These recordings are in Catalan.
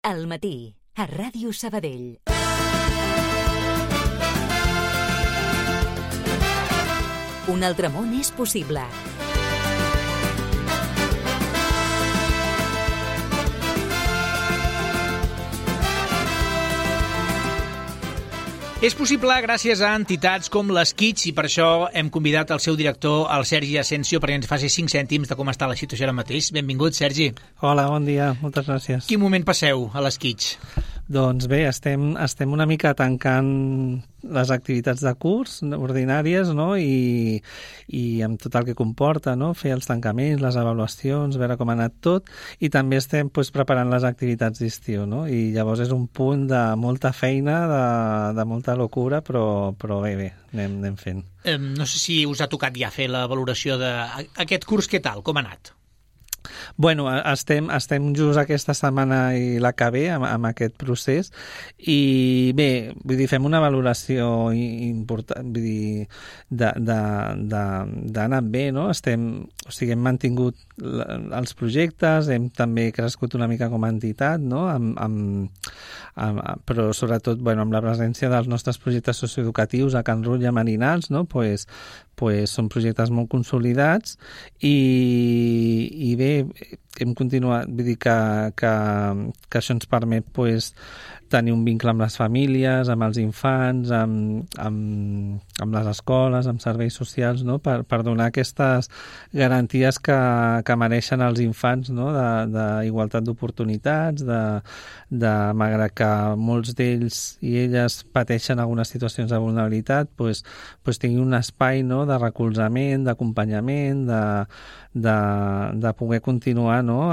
Al matí, a Ràdio Sabadell. Un altre món és possible. És possible gràcies a entitats com les Kids i per això hem convidat el seu director, el Sergi Asensio, perquè ens faci 5 cèntims de com està la situació ara mateix. Benvingut, Sergi. Hola, bon dia, moltes gràcies. Quin moment passeu a les Kids? Doncs bé, estem una mica tancant les activitats de curs ordinàries, no? I amb tot el que comporta, no? Fer els tancaments, les avaluacions, veure com ha anat tot, i també estem preparant les activitats d'estiu, no? I llavors és un punt de molta feina, de molta locura, però bé, anem fent. No sé si us ha tocat ja fer la valoració d'aquest curs, què tal, com ha anat? Bueno, estem just aquesta setmana i la que ve amb aquest procés i bé, vull dir, fem una valoració important, vull dir, d'anar bé, no? Hem mantingut els projectes, hem també crescut una mica com a entitat, no? Però sobretot, bueno, amb la presència dels nostres projectes socioeducatius a Can Rull i a Marinals, no? Pues són projectes molt consolidats i bé, hem continuat, vull dir que això ens permet tenir un vincle amb les famílies, amb els infants, amb les escoles, amb serveis socials, no? Per donar aquestes garanties que mereixen els infants, no? D'igualtat d'oportunitats, malgrat que molts d'ells i elles pateixen algunes situacions de vulnerabilitat, tinguin un espai, no? De recolzament, d'acompanyament, de poder continuar, no?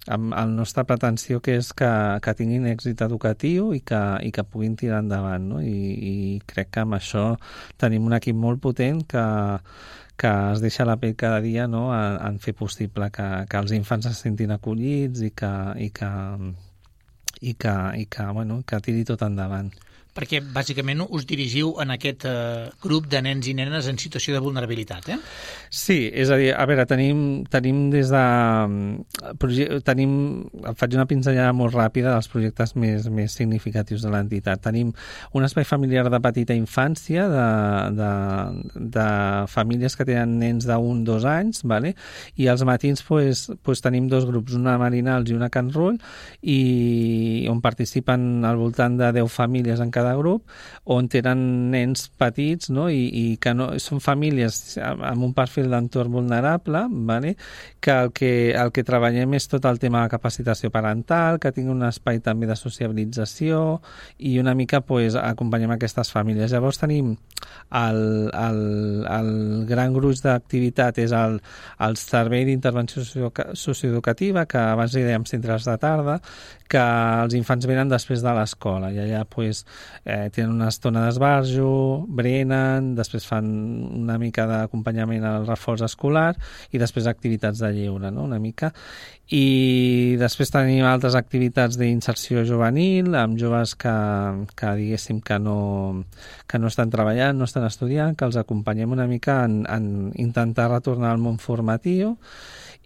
Amb la nostra pretensió, que és que tinguin èxit educatiu i que puguin tirar endavant, no? I crec que amb això tenim un equip molt potent que es deixa la pell cada dia, no? En fer possible que els infants se sentin acollits i que tiri tot endavant. Perquè, bàsicament, us dirigiu en aquest grup de nens i nenes en situació de vulnerabilitat, eh? Sí, és a dir, a veure, tenim des de... faig una pinzellada molt ràpida dels projectes més significatius de l'entitat. Tenim un espai familiar de petita infància, de famílies que tenen nens d'1 o 2 anys, vale? I als matins tenim 2 grups, una a Marinals i una a Can Rull, i on participen al voltant de 10 famílies en cada grup, on tenen nens petits, no? I que no, són famílies amb un perfil d'entorn vulnerable, vale? Que el que treballem és tot el tema de capacitació parental, que tingui un espai també de sociabilització i una mica acompanyem aquestes famílies. Llavors tenim el gran gruix d'activitat és el servei d'intervenció socioeducativa, que abans li dèiem centres de tarda, que els infants venen després de l'escola i allà tenen una estona d'esbarjo, berenen, després fan una mica d'acompanyament al reforç escolar i després activitats de lleure, no? Una mica. I després tenim altres activitats d'inserció juvenil amb joves que diguéssim que no estan treballant, no estan estudiant, que els acompanyem una mica en intentar retornar al món formatiu.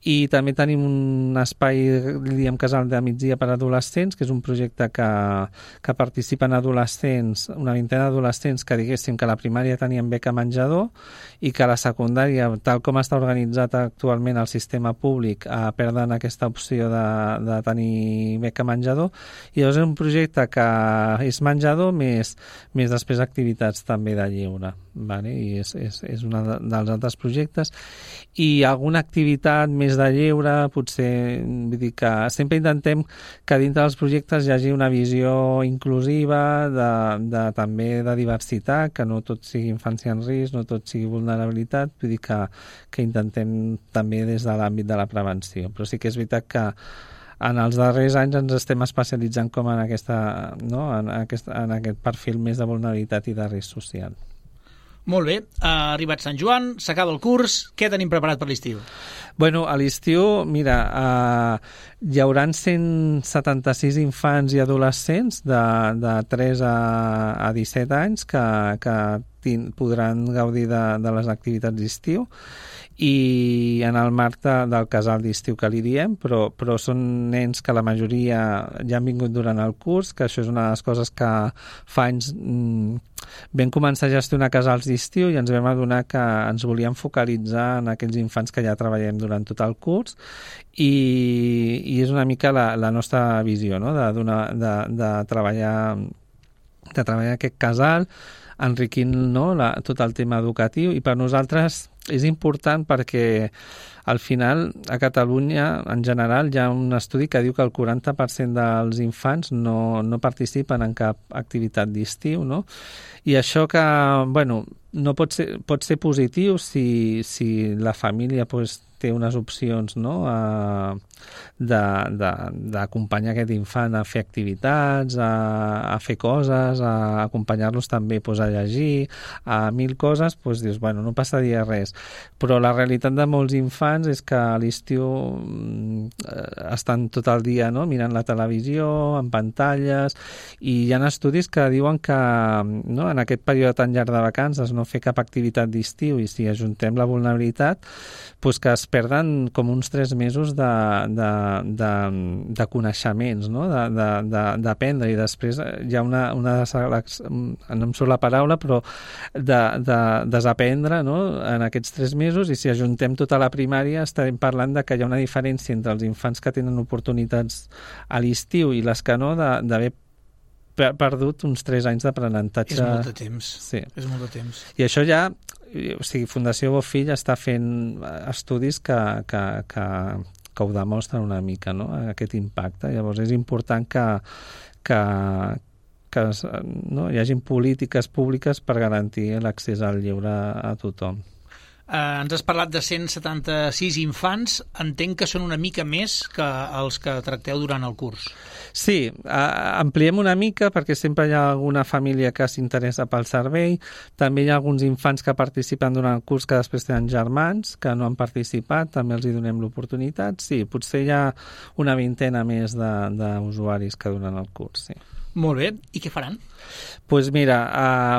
I també tenim un espai, diguem, casal de migdia per a adolescents, que és un projecte que participen adolescents, una vintena d'adolescents que diguéssim que a la primària tenien beca menjador i que a la secundària, tal com està organitzat actualment el sistema públic, perden aquesta opció de tenir beca menjador. I llavors és un projecte que és menjador més després activitats també de lleure, vale? I és un dels altres projectes. I alguna activitat més de lleure, potser, vull dir que sempre intentem que dintre dels projectes hi hagi una visió inclusiva, també de diversitat, que no tot sigui infància en risc, no tot sigui vulnerabilitat, vull dir que intentem també des de l'àmbit de la prevenció. Però sí que és veritat que en els darrers anys ens estem especialitzant com en aquest perfil més de vulnerabilitat i de risc social. Molt bé, ha arribat Sant Joan, s'acaba el curs, què tenim preparat per l'estiu? Bueno, a l'estiu, mira, hi haurà 176 infants i adolescents de 3 a 17 anys que podran gaudir de les activitats d'estiu, i en el marc del casal d'estiu que li diem, però són nens que la majoria ja han vingut durant el curs, que això és una de les coses que fa anys vam començar a gestionar casals d'estiu i ens vam adonar que ens volíem focalitzar en aquells infants que ja treballem durant tot el curs, i és una mica la nostra visió, no? de treballar aquest casal, enriquint, no, tot el tema educatiu, i per nosaltres és important perquè al final a Catalunya en general hi ha un estudi que diu que el 40% dels infants no participen en cap activitat d'estiu, no? I això que, bueno, no pot ser positiu si la família pues, té unes opcions, no? D'acompanyar aquest infant a fer activitats, a fer coses, a acompanyar-los també pues, a llegir, a 1000 coses, pues, dius, bueno, no passaria res. Però la realitat de molts infants és que a l'estiu estan tot el dia, no? Mirant la televisió, en pantalles, i hi ha estudis que diuen que, no, en aquest període tan llarg de vacances no fer cap activitat d'estiu, i si ajuntem la vulnerabilitat, pues que es perden com uns 3 mesos de coneixements, no? D'aprendre, i després hi ha una no em surt la paraula, però de desaprendre, no? En aquests 3 mesos, i si ajuntem tota la primària estarem parlant de que hi ha una diferència entre els infants que tenen oportunitats a l'estiu i les que no, d'haver perdut uns 3 anys d'aprenentatge. És molt de temps. Sí. És molt de temps. I això ja, o sigui, Fundació Bofill està fent estudis que ho demostren una mica, no? Aquest impacte. Llavors és important que no, hi hagin polítiques públiques per garantir l'accés al lleure a tothom. Ens has parlat de 176 infants. Entenc que són una mica més que els que tracteu durant el curs. Sí, ampliem una mica perquè sempre hi ha alguna família que s'interessa pel servei. També hi ha alguns infants que participen durant el curs que després tenen germans que no han participat, també els hi donem l'oportunitat. Sí, potser hi ha una 20ena més d'usuaris que durant el curs, sí. Molt bé. I què faran? Pues mira,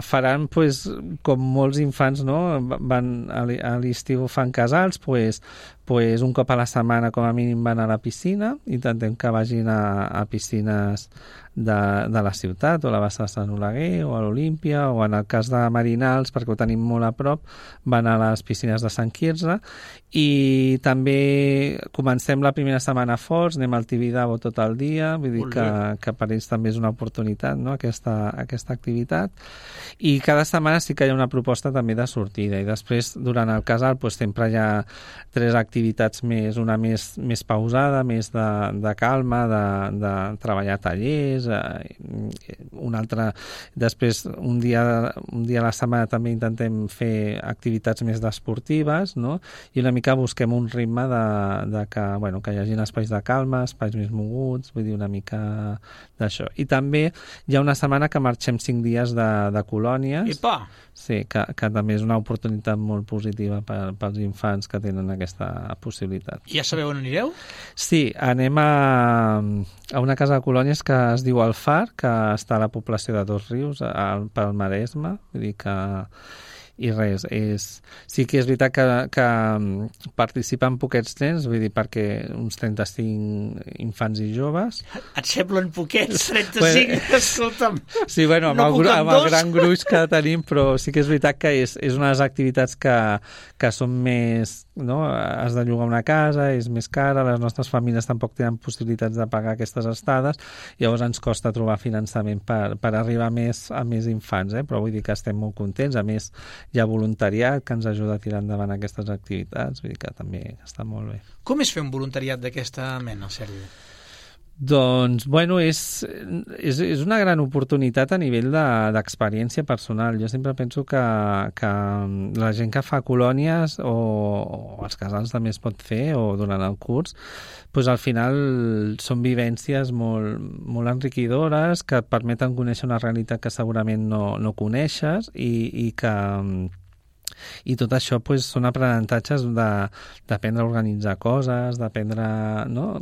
faran, pues, com molts infants, no? Van a l'estiu fan casals, pues un cop a la setmana com a mínim van a la piscina. Intentem que vagin a piscines de la ciutat, o la Bassa de Sant Oleguer, o a l'Olímpia, o en el cas de Marinals, perquè ho tenim molt a prop, van a les piscines de Sant Quirze. I també comencem la primera setmana forts, anem al Tibidabo tot el dia, vull dir que per ells també és una oportunitat, no? aquesta activitat. I cada setmana sí que hi ha una proposta també de sortida, i després durant el casal pues, sempre hi ha 3 activitats més, una més pausada, més de calma, de treballar tallers, una altra, després un dia a la setmana també intentem fer activitats més esportives, no? I una mica busquem un ritme de que, bueno, que hi hagi espais de calma, espais més moguts, vull dir, una mica d'això. I també hi ha una setmana que marxem 5 dies de colònies. Epa! Sí, que també és una oportunitat molt positiva pels infants que tenen aquesta possibilitat. I ja sabeu on anireu? Sí, anem a una casa de colònies que es diu El Far, que està a la població de Dosrius, pel Maresme, vull dir que... I res, sí que és veritat que participen poquets nens, vull dir, perquè uns 35 infants i joves. Et semblen poquets, 35? Escolta'm. Sí, bueno, amb el gran gruix que tenim, però sí que és veritat que és una de les activitats que són més... No? Has de llogar una casa, és més cara, les nostres famílies tampoc tenen possibilitats de pagar aquestes estades, llavors ens costa trobar finançament per arribar a més infants, però vull dir que estem molt contents. A més, hi ha voluntariat que ens ajuda a tirar endavant aquestes activitats, vull dir que també està molt bé. Com és fer un voluntariat d'aquesta mena, Sergi? Doncs, bueno, és una gran oportunitat a nivell d'experiència personal. Jo sempre penso que la gent que fa colònies o els casals també es pot fer, o durant el curs, doncs al final són vivències molt enriquidores que et permeten conèixer una realitat que segurament no coneixes i que I tot això pues, són aprenentatges d'aprendre a organitzar coses, d'aprendre... No?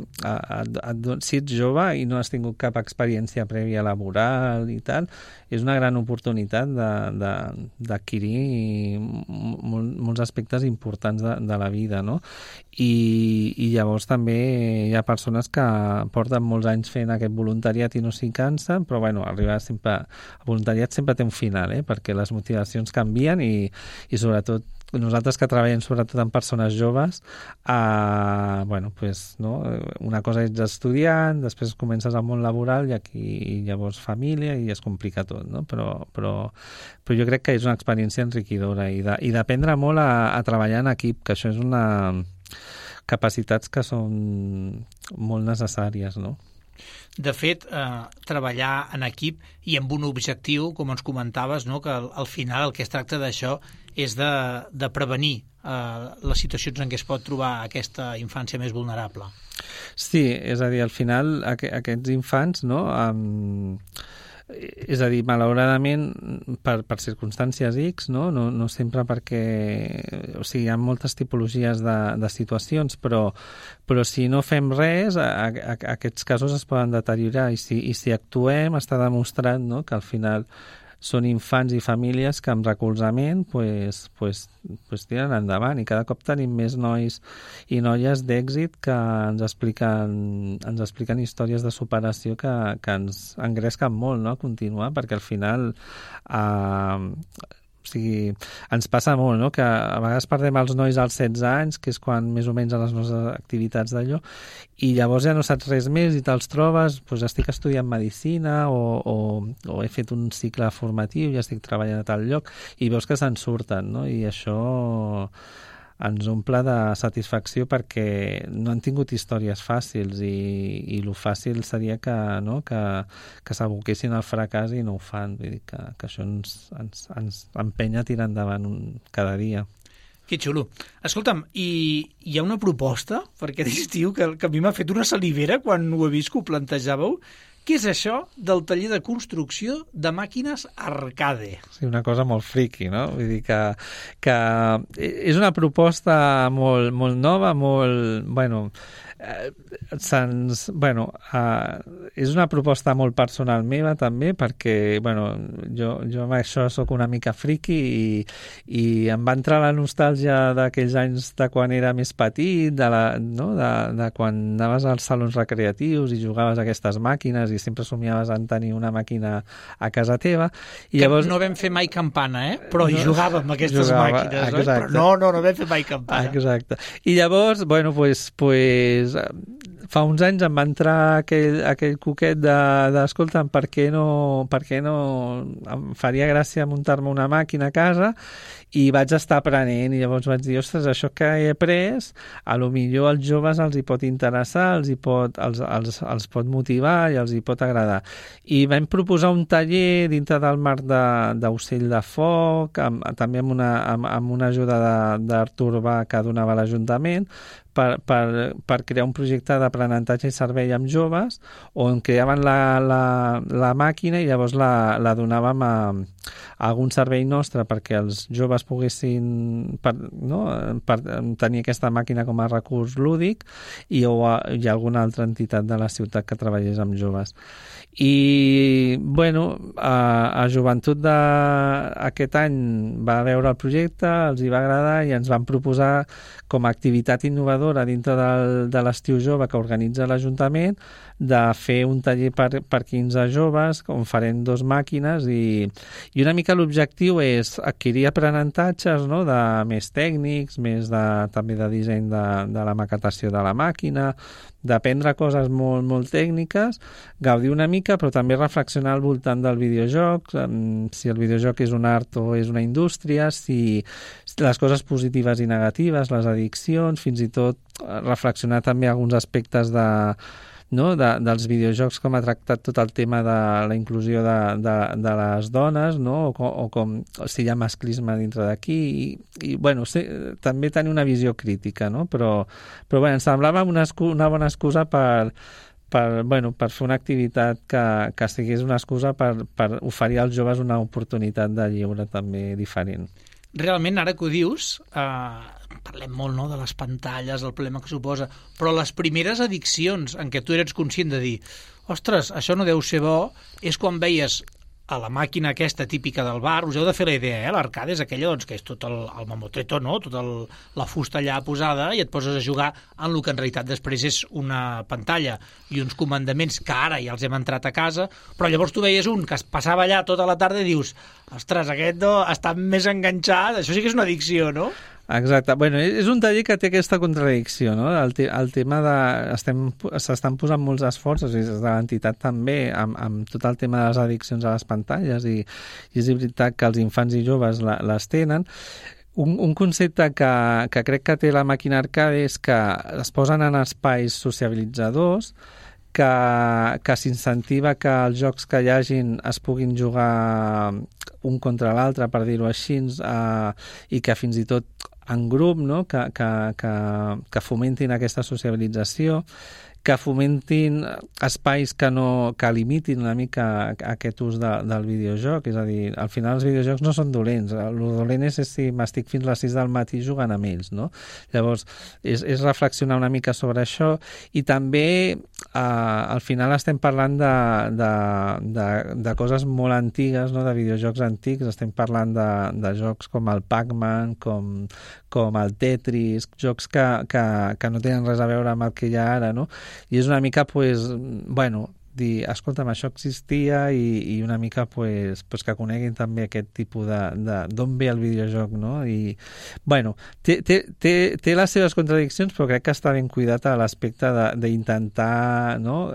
Si ets jove i no has tingut cap experiència prèvia laboral i tal, és una gran oportunitat d'adquirir molts aspectes importants de la vida, no? I llavors també hi ha persones que porten molts anys fent aquest voluntariat i no s'hi cansen, però bueno, arribar sempre... El voluntariat sempre té un final, perquè les motivacions canvien i sobretot nosaltres que treballem sobretot amb persones joves, bueno, pues, no? Una cosa ets estudiant, després comences al món laboral i aquí llavors família i es complica tot, no? Però jo crec que és una experiència enriquidora i d'aprendre molt a treballar en equip, que això és una capacitats que són molt necessàries, no? De fet, treballar en equip i amb un objectiu, com ens comentaves, no? Que al final el que es tracta d'això és de prevenir les situacions en què es pot trobar aquesta infància més vulnerable. Sí, és a dir, al final aquests infants, no? És a dir, malauradament per circumstàncies X, no sempre perquè... O sigui, hi ha moltes tipologies de situacions, però si no fem res, aquests casos es poden deteriorar i si actuem està demostrat, no?, que al final són infants i famílies que amb recolzament pues tiren endavant i cada cop tenim més nois i noies d'èxit que ens expliquen històries de superació que ens engresquen molt, no?, a continuar, perquè al final o sigui, ens passa molt, no?, que a vegades perdem els nois als 16 anys, que és quan més o menys a les nostres activitats d'allò, i llavors ja no saps res més i te'ls trobes, doncs estic estudiant medicina o he fet un cicle formatiu i estic treballant a tal lloc, i veus que se'n surten, no?, i això ens omple de satisfacció perquè no han tingut històries fàcils i lo fàcil seria que s'aboquessin al fracàs i no ho fan. Vull dir que això ens empenya a tirar endavant cada dia. Que xulo. Escolta'm, hi ha una proposta per aquest estiu que a mi m'ha fet una salivera quan ho he vist que ho plantejàveu. Què és això del taller de construcció de màquines arcade? Sí, una cosa molt friqui, no? Vull dir que és una proposta molt, molt nova, molt... Bueno, és una proposta molt personal meva també perquè jo amb això sóc una mica friqui i em va entrar la nostàlgia d'aquells anys de quan era més petit, de quan anaves als salons recreatius i jugaves a aquestes màquines i sempre somiaves en tenir una màquina a casa teva. I llavors... No vam fer mai campana, però hi jugàvem aquestes màquines, exacte. Però no vam fer mai campana. Exacte. I llavors, fa uns anys em va entrar aquell coquet d'escolta'm, per què no em faria gràcia muntar-me una màquina a casa, i vaig estar aprenent i llavors vaig dir, ostres, això que he après a lo millor als joves els hi pot interessar, els pot motivar i els hi pot agradar. I vam proposar un taller dintre del marc d'Ocell de Foc, també amb una ajuda d'Artur Bach que donava l'Ajuntament, per crear un projecte d'aprenentatge i servei amb joves on creaven la màquina i llavors la donàvem a algun servei nostre perquè els joves poguessin tenir aquesta màquina com a recurs lúdic i alguna altra entitat de la ciutat que treballés amb joves. I, a Joventut d'aquest any va veure el projecte, els hi va agradar i ens van proposar com a activitat innovadora dintre de l'estiu jove que organitza l'Ajuntament de fer un taller per 15 joves on farem 2 màquines i una mica l'objectiu és adquirir aprenentatges, no?, de més tècnics, més també de disseny de la maquetació de la màquina, d'aprendre coses molt, molt tècniques, gaudir una mica, però també reflexionar al voltant del videojoc, si el videojoc és un art o és una indústria, si les coses positives i negatives, les addiccions, fins i tot reflexionar també alguns aspectes dels videojocs, com ha tractat tot el tema de la inclusió de les dones, no?, o si hi ha masclisme dintre d'aquí, i també tenir una visió crítica, no? Però ens semblava una bona excusa per fer una activitat que sigués una excusa per oferir als joves una oportunitat de lleure també diferent. realment, ara que ho dius, parlem molt, no?, de les pantalles, el problema que suposa, però les primeres addiccions en què tu eres conscient de dir ostres, això no deu ser bo, és quan veies a la màquina aquesta típica del bar, us heu de fer la idea, l'arcade és aquella doncs, que és tot el mamotreto, no?, tota la fusta allà posada i et poses a jugar en el que en realitat després és una pantalla i uns comandaments que ara ja els hem entrat a casa, però llavors tu veies un que es passava allà tota la tarda i dius ostres, aquest no, està més enganxat, això sí que és una addicció, no? Exacte. Bueno, és un taller que té aquesta contradicció, no? El tema de... S'estan posant molts esforços, i des de l'entitat també, amb tot el tema de les addiccions a les pantalles, i és veritat que els infants i joves les tenen. Un concepte que crec que té la màquina arcade és que es posen en espais sociabilitzadors, que s'incentiva que els jocs que hi hagin es puguin jugar un contra l'altre, per dir-ho així, i que fins i tot en grup, no?, que fomentin aquesta sociabilització, que fomentin espais que limitin una mica aquest ús del videojoc. És a dir, al final els videojocs no són dolents. El dolent és si m'estic fins a les 6 del matí jugant amb ells, no? Llavors, és reflexionar una mica sobre això, i també al final estem parlant de coses molt antigues, no?, de videojocs antics. Estem parlant de jocs com el Pac-Man, com el Tetris, jocs que no tenen res a veure amb el que hi ha ara, no? I és una mica, dir, escolta'm, això existia, i una mica, que coneguin també aquest tipus d'on ve el videojoc, no? I, té les seves contradiccions, però crec que està ben cuidat a l'aspecte d'intentar, no?,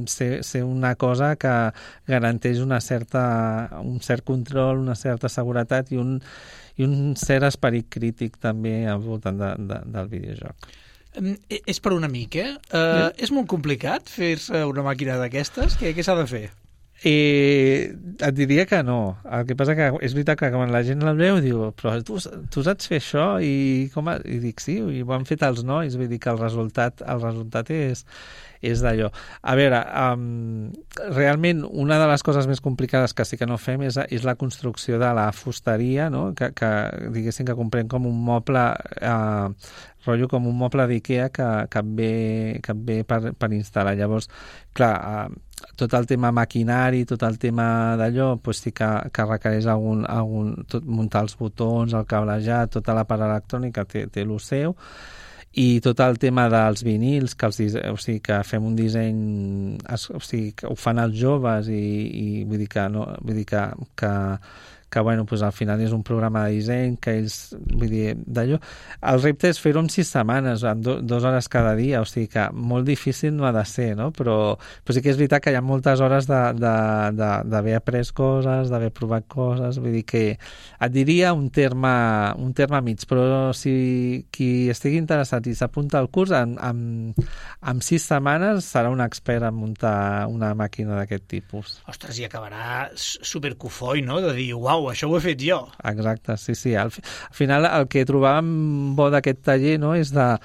ser una cosa que garanteix un cert control, una certa seguretat i un cert esperit crític també al voltant del videojoc. És per un amic, És molt complicat fer-se una màquina d'aquestes? Què s'ha de fer? Et diria que no. El que passa que és veritat que quan la gent la veu diu, però tu saps fer això? I dic, sí, i ho han fet els nois. Vull dir que el resultat és d'allò. A veure, realment una de les coses més complicades que sí que no fem és la construcció de la fusteria, no?, que diguéssim que comprem com un moble rotllo com un moble d'Ikea que et ve per instal·lar. Llavors, clar, tot el tema maquinari, tot el tema d'allò, sí que requereix muntar els botons, el cablejat, tota la part electrònica té el seu, i tot el tema dels vinils, que fem un disseny, que ho fan els joves, i vull dir que al final és un programa de disseny que ells, d'allò. El repte és fer-ho en 6 setmanes, en 2 hores cada dia, o sigui que molt difícil no ha de ser, no? Però sí que és veritat que hi ha moltes hores d'haver après coses, d'haver provat coses, vull dir que et diria un terme mig, però si qui estigui interessat i s'apunta al curs, en 6 setmanes serà un expert en muntar una màquina d'aquest tipus. Ostres, i acabarà supercofoi, no?, de dir, uau, això ho he fet jo. Exacte, sí. Al final el que trobàvem bo d'aquest taller, no?, és de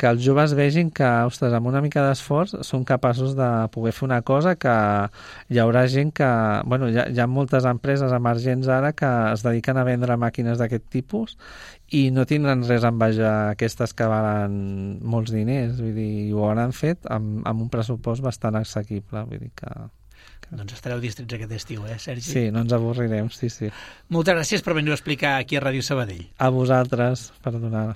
que els joves vegin que, ostres, amb una mica d'esforç són capaços de poder fer una cosa que hi haurà gent que... hi ha moltes empreses emergents ara que es dediquen a vendre màquines d'aquest tipus i no tindran res a envejar aquestes que valen molts diners, vull dir, i ho hauran fet amb un pressupost bastant assequible, vull dir que... Doncs estareu distrets aquest estiu, Sergi? Sí, no ens avorrirem, sí. Moltes gràcies per venir a explicar aquí a Ràdio Sabadell. A vosaltres, per donar